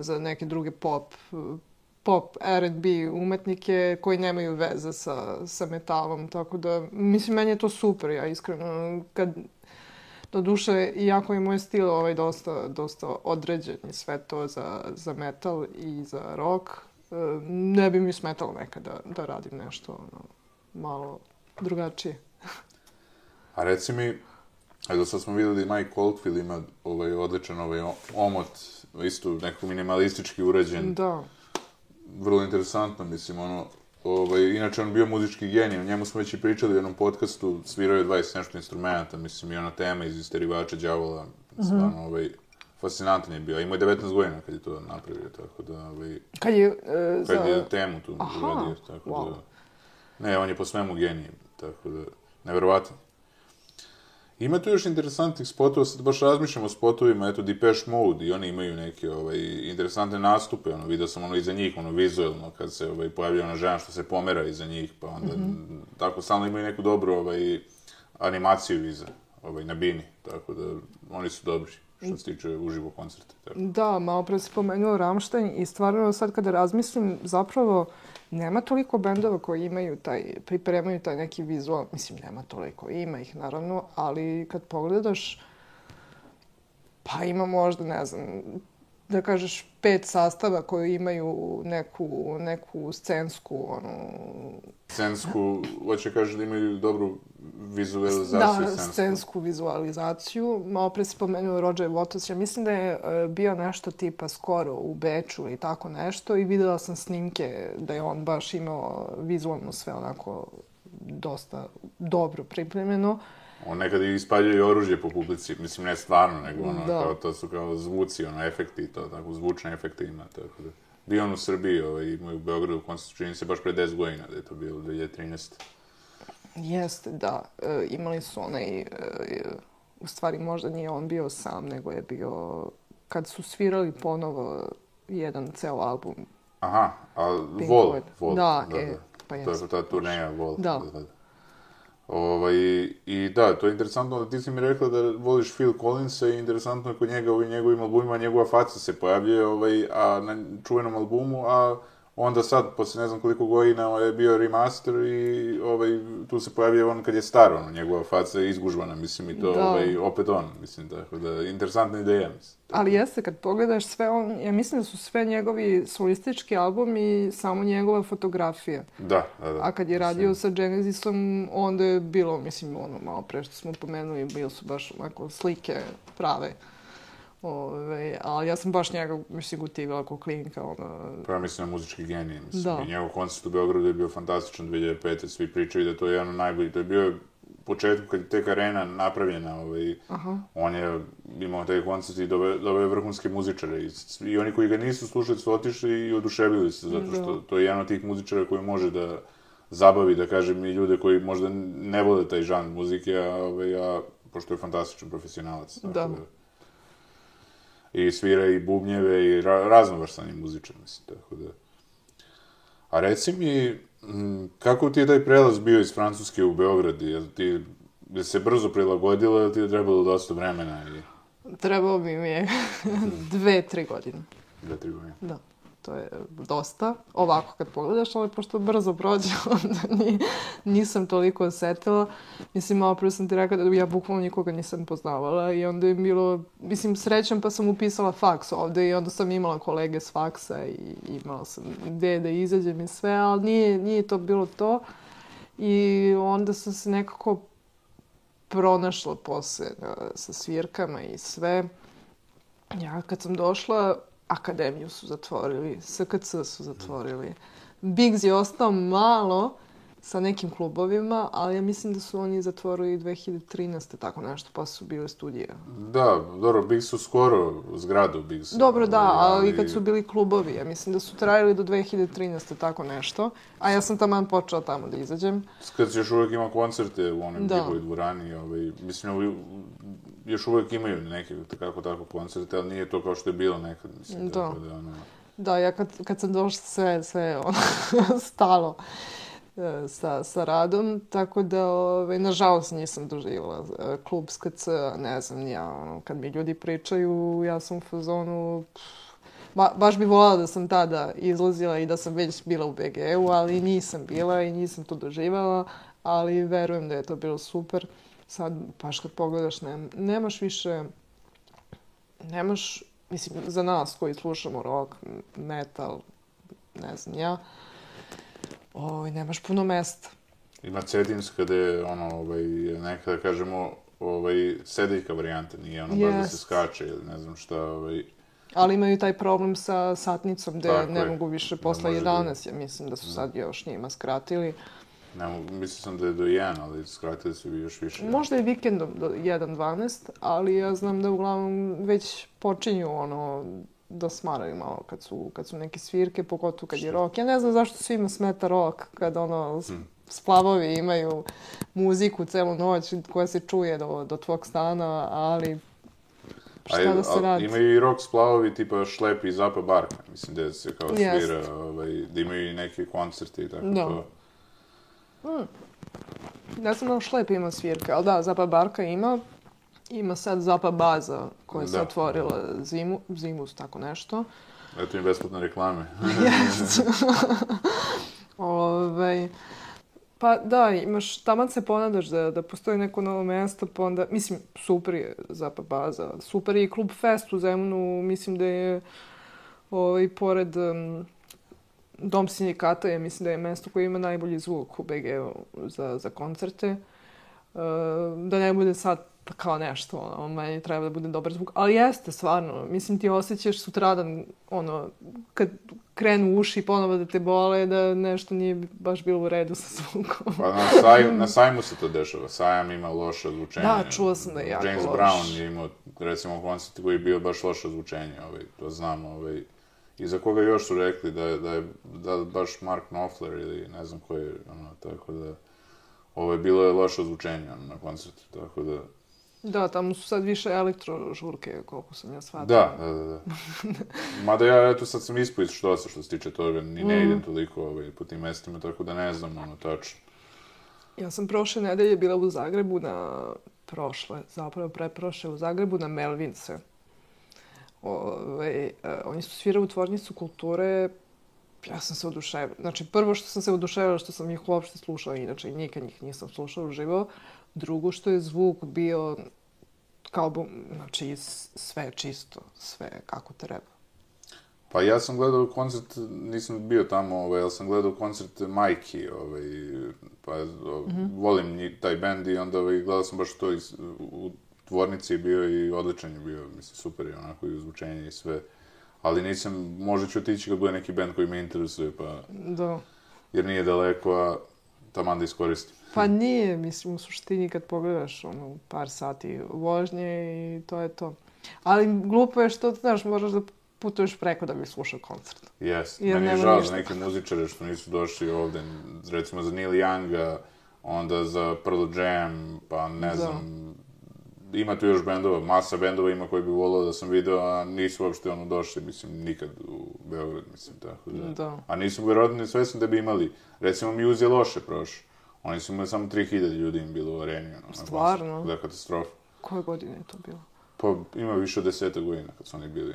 za neke druge pop R&B umetnike koji nemaju veze sa metalom, tako da, mislim, meni je to super, ja iskreno, doduše, iako je moj stil dosta određen i sve to za metal i za rock, ne bi mi smetalo nekada da radim nešto malo drugačije. A reci mi, evo sad smo vidjeli Mike Oldfield ima odličan omot, isto nekako minimalistički urađen. Da. Vrlo interesantno, mislim, inače on bio muzički genij, o njemu smo već i pričali u jednom podcastu, svirao je 20 nešto instrumenta, mislim, i ona tema iz Isterivača đavola, stvarno, fascinantan je bio, imao je 19 godina kad je to napravio, tako da, Kad je temu tu uradio, tako da, ne, on je po svemu genij, tako da, nevjerovatno. Ima tu još interesantnih spotova, sad baš razmišljam o spotovima, eto, Depeche Mode, i oni imaju neke interesantne nastupe, vidio sam iza njih, vizuelno, kad se pojavlja ona žena što se pomera iza njih, pa onda, tako, stalno imaju neku dobru animaciju iza, na bini, tako da, oni su dobri, što se tiče uživo koncerta. Da, malo pre se pomenuo Rammstein i stvarno sad kada razmislim, zapravo, nema toliko bendova koji pripremaju taj neki vizual, mislim, nema toliko, ima ih naravno, ali kad pogledaš, pa ima možda, ne znam, da kažeš 5 sastava koji imaju neku scensku, Scensku, hoće kažeš da imaju dobru vizualizaciju scensku. Da, scensku vizualizaciju. Malo pre se pomenuo Roger Waters. Ja mislim da je bio nešto tipa skoro u Beču ili tako nešto i videla sam snimke da je on baš imao vizualno sve onako dosta dobro pripremljeno. On nekada i ispaljuje oružje po publici, mislim ne stvarno, nego kao to su kao zvuci, efekti, to tako, zvučne efekte ima, tako da. Bio on u Srbiji, imao u Beogradu koncert, čini se baš pre 10 godina, da je to bilo 2013. Jeste, da. Imali su u stvari možda nije on bio sam, nego je bio, kad su svirali ponovo jedan ceo album. Aha, a Vol. Da, pa jeste. To je ta turneja Vol. Da. I da, to je interesantno da ti si mi rekla da voliš Phil Collinsa i interesantno je kod njega u njegovim albumima njegova faca se pojavljuje a na čuvenom albumu, a onda sad, posle ne znam koliko godina je bio remaster i tu se pojavljuje on kad je star, njegova faca je izgužvana, mislim, i to opet on, mislim, tako da, interesantna ideja, mislim. Ali jeste, kad pogledaš sve ja mislim da su sve njegovi solistički albumi samo njegova fotografija. Da. A kad je radio sa Genesisom, onda je bilo, mislim, malo pre što smo pomenuli, bili su baš onako slike prave. Ali ja sam baš njega, mislim, gotivila kao klinka. Pa ja mislim na muzički genij, mislim. I njegov koncert u Beogradu je bio fantastičan 2005. Svi pričaju da to je jedan od najboljih. To je bio početku kad je tek arena napravljena. On je imao taj koncert i doveo je vrhunske muzičare. I oni koji ga nisu slušali su otišli i oduševili se, zato što to je jedan od tih muzičara koji može da zabavi, da kažem, i ljude koji možda ne vole taj žanr muzike, a pošto je fantastičan profesionalac. Da. I svira i bubnjeve i raznovrsan je muzičar, mislim, tako da. A reci mi, Kako ti je taj prelaz bio iz Francuske u Beograd? Je se brzo prilagodila ili ti je trebalo dosta vremena? Trebalo bi mi je 2-3 godine. 2-3 godine. Da, to je dosta. Ovako kad pogledaš, ali pošto brzo prođe, onda nisam toliko osetila. Mislim, malo prvo sam ti rekla da ja bukvalno nikoga nisam poznavala i onda je bilo, mislim, srećem pa sam upisala faks ovde i onda sam imala kolege s faksa i imala sam ideje da izađem i sve, ali nije to bilo to. I onda sam se nekako pronašla posle sa svirkama i sve. Ja kad sam došla, akademiju su zatvorili, SKC su zatvorili. Bigs je ostao malo sa nekim klubovima, ali ja mislim da su oni zatvorili 2013. tako nešto, pa su bile studije. Da, dobro, Bigs su skoro zgradu Bigs. Dobro, da, ali kad su bili klubovi, ja mislim da su trajali do 2013. tako nešto, a ja sam taman počela tamo da izađem. Kad još uvijek ima koncerte u onim njihovoj dvorani, mislim, još uvijek imaju neke tako koncerte, ali nije to kao što je bilo nekad, mislim. Da, da, ja kad sam došla sve stalo sa radom, tako da, nažalost, nisam doživjela klub SKC, ne znam, ja, kad mi ljudi pričaju, ja sam u fazonu, baš bi voljela da sam tada izlazila i da sam već bila u BG-u, ali nisam bila i nisam to doživjela, ali verujem da je to bilo super. Sad, baš kad pogledaš, nemaš više, mislim, za nas koji slušamo rock, metal, ne znam ja, nemaš puno mesta. Ima Cetinska gde je neka, da kažemo, sedeljka varijanta, nije baš da se skače ili ne znam šta, Ali imaju taj problem sa satnicom gde ne mogu više posle 11, ja mislim da su sad još njima skratili. Mislim sam da je do 1, ali skratili su još više. Možda je vikendom do 1:12, ali ja znam da uglavnom već počinju da smaraju malo kad su neke svirke, pogotovo kad je rock. Ja ne znam zašto svima smeta rock, kad splavovi imaju muziku celu noć koja se čuje do tvog stana, ali šta da se radi? Imaju i rock splavovi tipa Šlep i Zapa Barka, mislim da se kao svira, da imaju i neke koncerte i tako to. Ja sam na Šlep ima svirke, ali da, Zapa Barka ima sad Zapa Baza koja se otvorila zimus, tako nešto. Eto im besplatne reklame. Pa da, taman se ponadaš da postoji neko novo mesto, pa onda, mislim, super je Zapa Baza, super je i Klub Fest u Zemunu, mislim da je pored Dom sindikata je, mislim da je mesto koje ima najbolji zvuk u BG-u za koncerte. Da ne bude sad kao nešto, meni treba da bude dobar zvuk. Ali jeste, stvarno. Mislim, ti osjećaš sutradan, kad krenu uši ponovo da te bole, da nešto nije baš bilo u redu sa zvukom. Pa na sajmu se to dešava. Sajam ima loše ozvučenje. Da, čula sam da je jako loš. James Brown je imao, recimo, koncert koji je bio baš loše ozvučenje. To znam, I za koga još su rekli da baš Mark Knopfler ili ne znam ko je, tako da... bilo je loše ozvučenje na koncertu, tako da... Da, tamo su sad više elektrožurke, koliko sam ja shvatila. Da. Mada ja, eto, sad sam ispao iz Štosa što se tiče toga, ni ne idem toliko po tim mestima, tako da ne znam, tačno. Ja sam prošle nedelje bila u Zagrebu preprošle u Zagrebu na Melvince. Oni su svirali u Tvornicu kulture, ja sam se oduševila. Znači, prvo što sam se oduševila što sam ih uopšte slušala, inače nikad njih nisam slušala uživo. Drugo što je zvuk bio kao, znači, sve čisto, sve kako treba. Pa ja sam gledao koncert, nisam bio tamo, ali sam gledao koncert Majki, pa volim taj bend i onda gledao sam baš to u Tvornici je bio i odličan je bio, mislim, super je onako i uzvučenje i sve. Ali nisam, možda ću otići kad bude neki band koji me interesuje, pa... Da. Jer nije daleko, a taman da iskoristim. Pa nije, mislim, u suštini kad pogledaš par sati vožnje i to je to. Ali glupo je što, znaš, moraš da putuješ preko da bi slušao koncert. Jes, meni je žao za neke muzičare što nisu došli ovde, recimo za Neil Younga, onda za Pearl Jam, pa ne znam, ima tu još bendova, masa bendova ima koji bi volao da sam video, a nisu uopšte došli, mislim, nikad u Beograd, mislim, tako da. Da. A nisu verovatno ni svesni da bi imali. Recimo, Muse je loše prošao. Oni su imali samo 3000 ljudi im bilo u areni. Stvarno? Da, katastrofa. Koje godine je to bilo? Pa ima više od 10 godina kad su oni bili.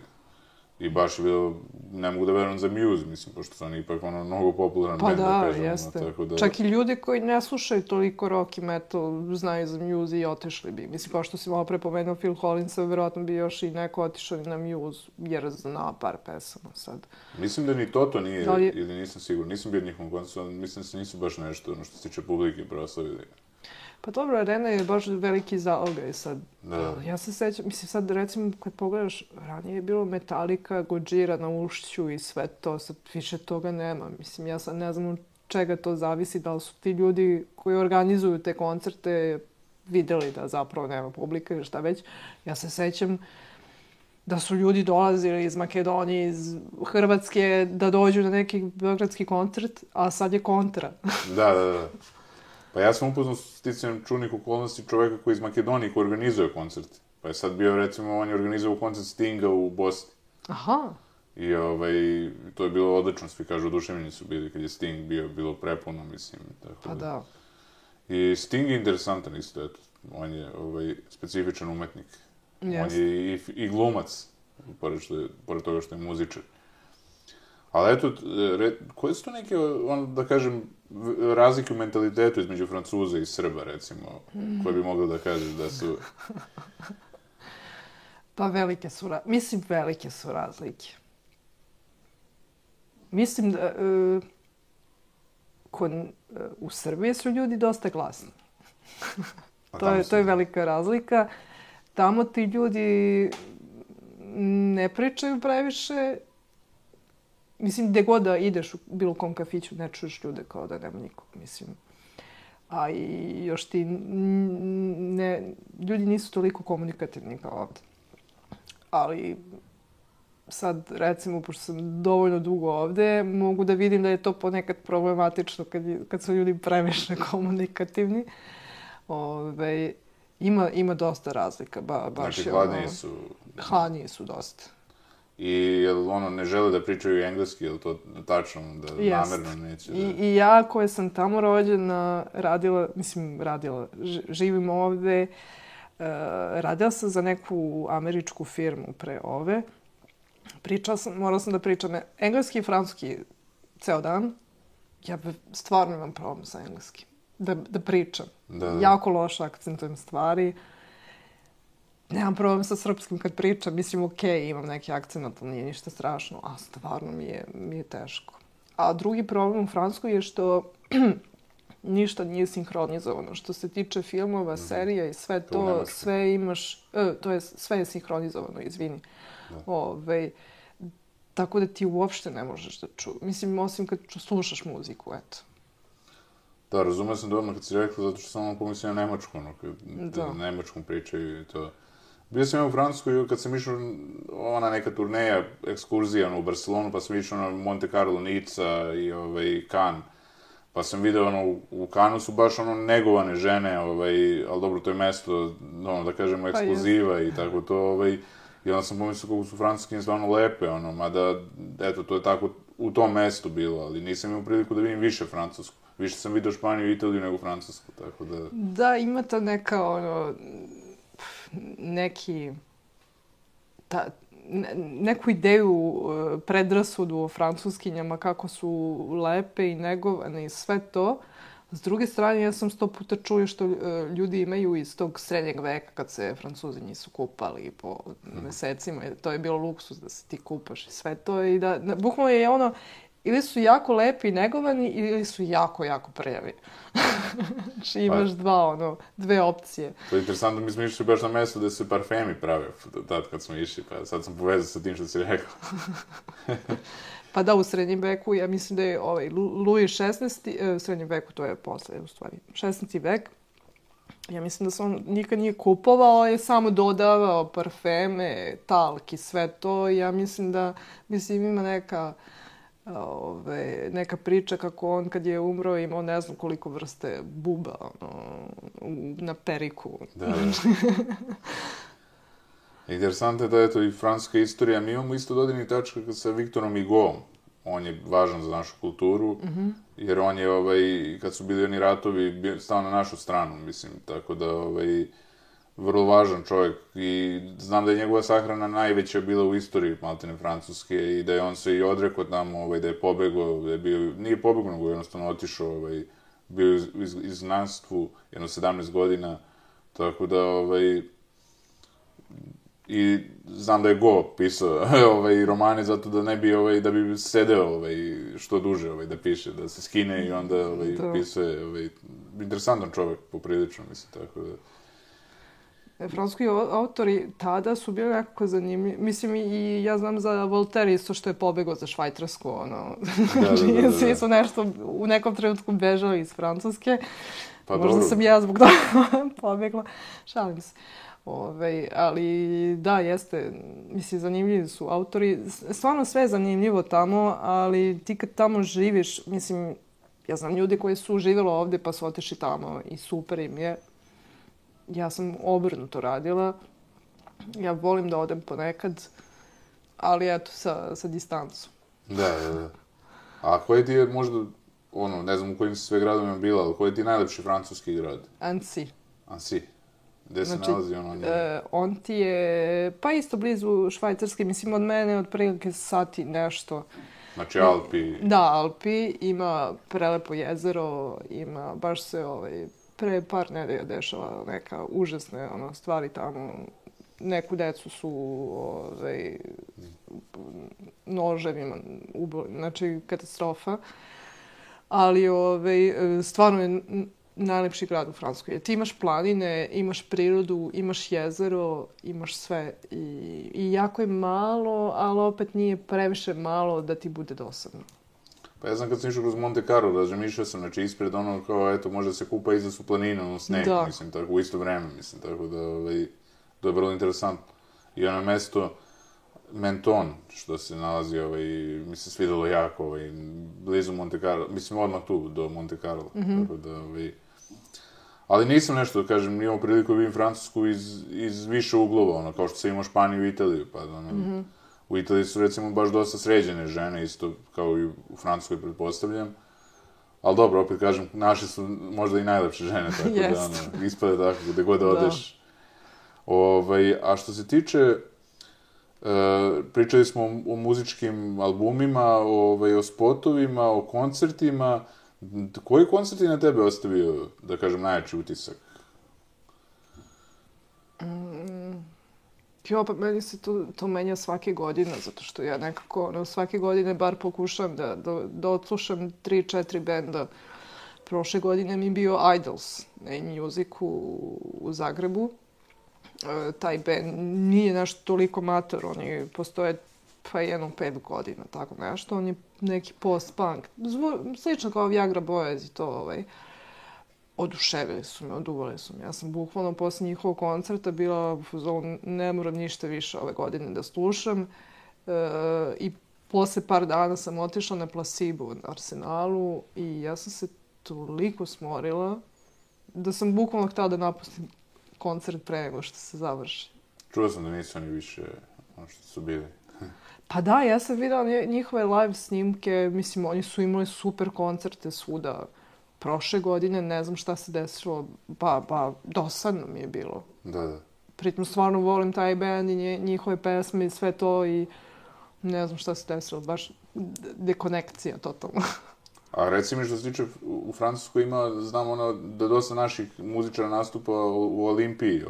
I baš je bilo, ne mogu da verujem za Muse, mislim, pošto su oni ipak mnogo popularan band, da kažemo. Jeste. Tako da... Čak i ljudi koji ne slušaju toliko rock i metal znaju za Muse i otišli bi. Mislim, kao što si malo pre pomenuo Phil Collinsa, verovatno bi još i neko otišao na Muse, jer zna par pesama sad. Mislim da ni Toto nije, ili nisam siguran, nisam bio njihovom koncertu, mislim da se nisu baš nešto, što se tiče publike, proslavili. Pa dobro, arena je baš veliki zalogaj sad. Da. Ja se sećam, mislim sad recimo kad pogledaš, ranije je bilo Metallica, Gojira na Ušću i sve to, sad više toga nema. Mislim, ja sad ne znam od čega to zavisi, da li su ti ljudi koji organizuju te koncerte videli da zapravo nema publike ili šta već. Ja se sećam da su ljudi dolazili iz Makedonije, iz Hrvatske, da dođu na neki beogradski koncert, a sad je kontra. Da. Pa ja sam upoznao s sticajem čudnih okolnosti čoveka koji iz Makedonije koji organizuje koncerte. Pa je sad bio, recimo, on je organizovao koncert Stinga u Bosni. Aha. I to je bilo odlično, svi kažu, oduševljeni su bili kad je Sting bilo prepuno, mislim. Tako Pa da. I Sting je interesantan isto, eto. On je specifičan umetnik. Yes. On je i glumac, pored toga što je muzičar. Ali eto, koje su to neke, da kažem, razlike u mentalitetu između Francuza i Srba, recimo, koje bi mogli da kažeš da su... Pa velike su razlike. Mislim da u Srbiji su ljudi dosta glasni. To je velika razlika. Tamo ti ljudi ne pričaju previše. Mislim, gde god da ideš u bilo kom kafiću, ne čuješ ljude kao da nema nikog, mislim. A i još ljudi nisu toliko komunikativni kao ovde. Ali sad, recimo, pošto sam dovoljno dugo ovde, mogu da vidim da je to ponekad problematično kad su ljudi previše komunikativni. Ima dosta razlika, baš znači, hladniji su... Hladniji su dosta. I jel ne žele da pričaju engleski, jel to tačno, da namerno neće da... I ja koja sam tamo rođena, živim ovde, radila sam za neku američku firmu pre ove. Morala sam da pričam engleski i francuski ceo dan. Ja stvarno imam problem sa engleskim. Da pričam. Jako loše akcentujem stvari. Nemam problem sa srpskim kad pričam. Mislim, okej, imam neki akcent, ali nije ništa strašno. A stvarno mi je teško. A drugi problem u Francuskoj je što ništa nije sinhronizovano. Što se tiče filmova, serija i sve to, sve imaš... sve je sinhronizovano, izvini. Tako da ti uopšte ne možeš da mislim, osim kad slušaš muziku, eto. Da, razumio sam dobro kad si rekla, zato što sam pomislio na Nemačku, kad Nemačkom pričaju i to. Bio sam u Francuskoj kad sam išao ona neka turneja, ekskurzija u Barcelonu, pa sam išao na Monte Carlo, Nica i Cannes. Pa sam video, u Cannesu su baš negovane žene, ali dobro, to je mesto, da kažemo, ekskluziva i tako to, i onda sam pomislio kako su francuske stvarno lepe, mada, eto, to je tako u tom mestu bilo, ali nisam imao priliku da vidim više Francusku. Više sam vidio Španiju i Italiju nego Francusku, tako da... Da, ima ta neka, neku ideju, predrasudu o francuskinjama, kako su lepe i negovane i sve to. S druge strane, ja sam 100 puta čuo što ljudi imaju iz tog srednjeg veka, kad se Francuzi nisu kupali po mesecima. To je bilo luksus da se ti kupaš i sve to. I da, bukvalno je ili su jako lepi i negovani, ili su jako, jako prljavi. Znači imaš dve opcije. To je interesantno, mi smo išli baš na mesto gde se parfemi prave, tad kad smo išli, pa sad sam povezao sa tim što si rekao. Pa da, u srednjem veku, ja mislim da je Louis XVI, u srednjem veku, to je posle, u stvari, 16. vek, ja mislim da se on nikad nije kupovao, je samo dodavao parfeme, talk i sve to. Ja mislim da, ima neka neka priča kako on kad je umro imao ne znam koliko vrste buba na periku. Da. Interesantno je da je to i francuska istorija. Mi imamo isto dodirnih tačka sa Viktorom Hugoom. On je važan za našu kulturu, jer on je, kad su bili oni ratovi, stao na našu stranu, mislim, tako da, vrlo važan čovjek i znam da je njegova sahrana najveća bila u istoriji maltene Francuske i da je on se i odrekao tamo, da je pobegao, da je bio, nije pobegao, nego jednostavno otišao, bio u izgnanstvu, jedno 17 godina, tako da, i znam da je Go pisao romane zato da ne bi, da bi sedeo što duže da piše, da se skine i onda pisuje, interesantan čovjek poprilično, mislim, tako da. Francuski autori tada su bili nekako zanimljivi. Mislim, i ja znam za Voltaire isto što je pobegao za Švajcarsku, Da. Svi su nešto u nekom trenutku bežali iz Francuske. Pa možda dobro. sam ja zbog toga pobegla. Šalim se. Ali da, jeste, mislim, zanimljivi su autori. Stvarno sve je zanimljivo tamo, ali ti kad tamo živiš, mislim, ja znam ljudi koji su živjeli ovdje pa su otišli tamo i super im je. Ja sam obrnuto radila. Ja volim da odem ponekad, ali eto, sa distancom. Da. A koji ti je možda, ne znam u kojim si sve gradovima bila, ali koji ti je najlepši francuski grad? Annecy. Annecy. Gde se nalazi on ti je, pa isto blizu Švajcarske, mislim od mene otprilike sati nešto. Znači Alpi. Da, Alpi, ima prelepo jezero, ima, baš se pre par nedelja dešava neka užasne stvari tamo. Neku decu su noževima ubili, znači katastrofa. Ali stvarno je najlepši grad u Francuskoj. Ti imaš planine, imaš prirodu, imaš jezero, imaš sve. I jako je malo, ali opet nije previše malo da ti bude dosadno. Pa ja znam kad sam išao kroz Monte Carlo, razmišljao sam, znači ispred kao, eto, može se kupa iza su planine, sneg, mislim, tako, u isto vreme, mislim, tako da, to je vrlo interesantno. I ono mesto Menton, što se nalazi, mi se svidelo jako, blizu Monte Carlo, mislim, odmah tu, do Monte Carlo, tako da, ali nisam nešto, da kažem, imao priliku da vidim Francusku iz više uglova, kao što sam imao Španiju i Italiju, pa u Italiji su, recimo, baš dosta sređene žene, isto kao i u Francuskoj, pretpostavljam. Ali dobro, opet kažem, naši su možda i najlepše žene, tako da, ispade tako, gde god odeš. A što se tiče, pričali smo o muzičkim albumima, o spotovima, o koncertima. Koji koncert je na tebe ostavio, da kažem, najjači utisak? Pa meni se to menja svake godine, zato što ja nekako svake godine bar pokušam da odslušam 3-4 benda. Prošle godine mi je bio Idols na Music u Zagrebu. Taj band nije nešto toliko mator, oni postoje pa jedno 5 godina, tako nešto. On je neki post-punk, slično kao Viagra Boys i to, oduševili su me, oduvali su me. Ja sam bukvalno posle njihovog koncerta bila u fazonu, ne moram ništa više ove godine da slušam. I posle par dana sam otišla na Placebo u Arsenalu i ja sam se toliko smorila da sam bukvalno htjela da napustim koncert pre nego što se završi. Čuo sam da nisu oni više što su bili. Pa da, ja sam videla njihove live snimke, mislim, oni su imali super koncerte svuda. Prošle godine, ne znam šta se desilo, dosadno mi je bilo. Da. Pritom stvarno volim taj band i njihove pesme i sve to i ne znam šta se desilo, baš dekonekcija totalno. A reci mi što se tiče, u Francuskoj ima, znam da dosta naših muzičara nastupa u Olimpiji,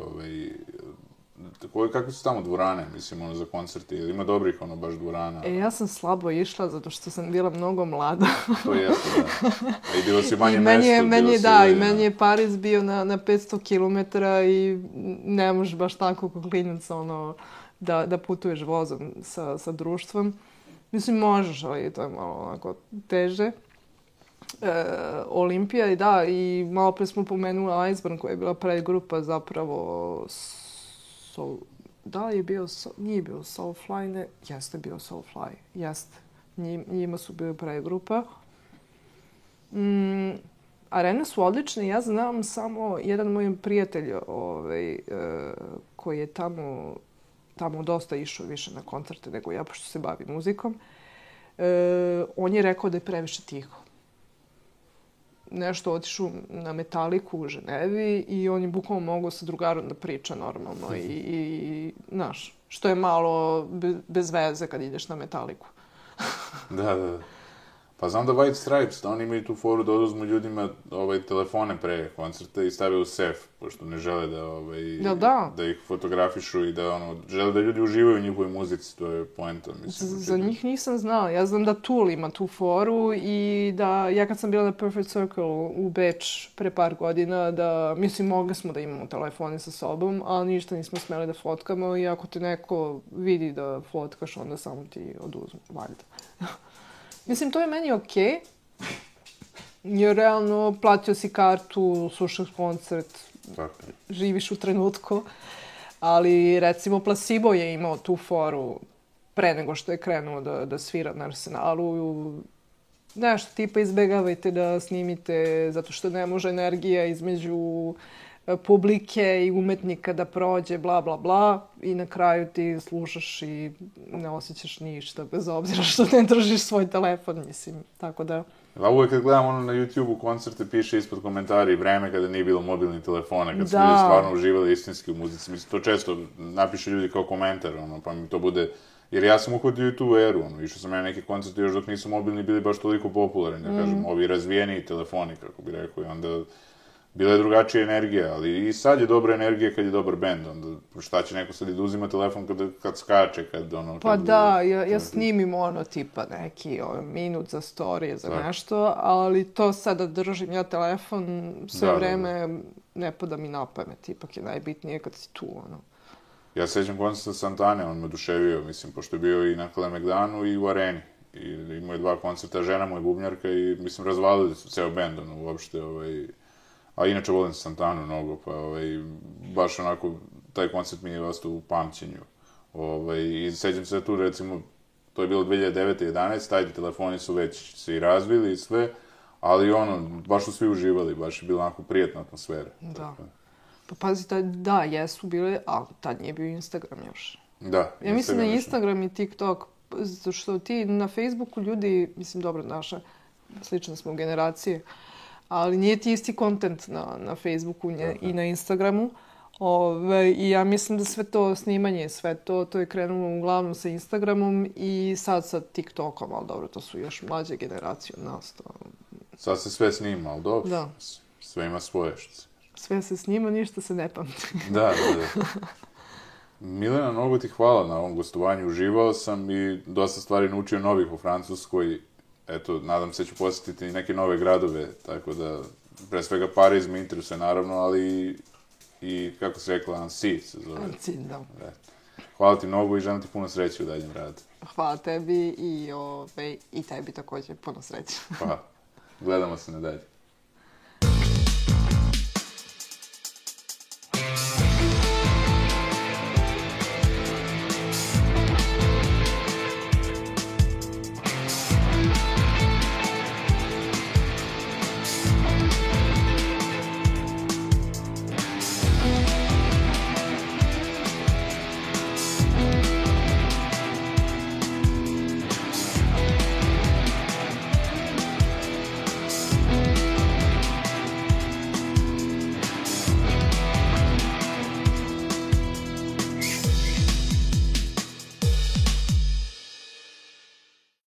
kakve su tamo dvorane, mislim, za koncerte, ili ima dobrih, baš dvorana? Ja sam slabo išla, zato što sam bila mnogo mlada. To jeste, da. A i bilo si manje mesto, meni je Pariz bio na 500 km i ne možeš baš tako kao klinac, da putuješ vozom sa društvom. Mislim, možeš, ali to je malo onako teže. Olimpija, i da, i malo pre smo pomenuli Iceburn, koja je bila predgrupa zapravo da li je bio, nije bio Soulfly, ne, jeste bio Soulfly, jeste. Njima su bili pregrupa. Arene su odlične. Ja znam samo jedan moj prijatelj koji je tamo dosta išao više na koncerte nego ja, pošto se bavi muzikom. On je rekao da je previše tiho. Nešto otišao na Metaliku u Ženevi i on je bukvalno mogao sa drugarom da priča normalno i znaš, što je malo bez veze kad ideš na Metaliku. Da. Pa znam da White Stripes, da oni imaju tu foru da oduzmu ljudima telefone pre koncerta i stave u sef, pošto ne žele da ih fotografišu i da žele da ljudi uživaju u njihovoj muzici, to je poenta. Za njih nisam znala. Ja znam da Tool ima tu foru i da ja kad sam bila na Perfect Circle u Beč pre par godina, da mislim mogli smo da imamo telefone sa sobom, ali ništa nismo smeli da fotkamo i ako te neko vidi da fotkaš, onda samo ti oduzmu, valjda. Mislim, to je meni okej, jer realno platio si kartu, slušaš koncert, živiš u trenutku, ali recimo Placebo je imao tu foru pre nego što je krenuo da svira na Arsenalu. Nešto tipa izbegavajte da snimite zato što ne može energija između publike i umetnika da prođe, bla, bla, bla, i na kraju ti slušaš i ne osjećaš ništa, bez obzira što ne držiš svoj telefon, mislim, tako da... Da, uvek kad gledam na YouTube-u koncerte, piše ispod komentari vreme kada nije bilo mobilnih telefona, kad su ljudi stvarno uživali istinski u muzici. Mislim, to često napiše ljudi kao komentar, pa mi to bude... Jer ja sam uhvatio i tu eru, išao sam ja na neke koncerte još dok nisu mobilni bili baš toliko popularni, da kažem, ovi razvijeniji telefoni, kako bi rekao, i onda... Bila je drugačija energija, ali i sad je dobra energija kad je dobar bend, onda šta će neko sad i da uzima telefon kad skače, kad Pa da, ja snimim tipa neki minut za storije, za nešto, ali to sad da držim ja telefon sve vreme ne pada mi na pamet, ipak je najbitnije kad si tu, Ja sećam koncerta Santane, on me oduševio, mislim, pošto je bio i na Kalemegdanu i u Areni. I imao je 2 koncerta, žena mu je bubnjarka i, mislim, razvalili su ceo bend, uopšte, A inače volim Santanu mnogo, pa baš onako, taj koncert mi je ostao u pamćenju. I sećam se tu, recimo, to je bilo 2009-2011, tajde telefoni su već se i razvili i sve, ali baš su svi uživali, baš je bila onako prijatna atmosfera. Da. Pa pazi, da, jesu bile, ali tad nije bio Instagram još. Da. Ja mislim da Instagram i TikTok, zato što ti na Facebooku ljudi, mislim, dobro, naša, slične smo generacije, ali nije ti isti kontent na Facebooku i na Instagramu. I ja mislim da sve to snimanje, sve to je krenulo uglavnom sa Instagramom i sad sa TikTokom, ali dobro, to su još mlađe generacije od nas. Sad se sve snima, ali dobro. Da. Sve ima svoje što se... Sve se snima, ništa se ne pamti. Da. Milena, mnogo ti hvala na ovom gostovanju. Uživao sam i dosta stvari naučio novih u Francuskoj. Eto, nadam se da ću posjetiti i neke nove gradove, tako da, pre svega Pariz me interesuje naravno, ali i, kako se rekla, Annecy se zove. Annecy, da. Hvala ti mnogo i želim ti puno sreće u daljem radu. Hvala tebi i tebi također puno sreće. Pa, gledamo se na dalje.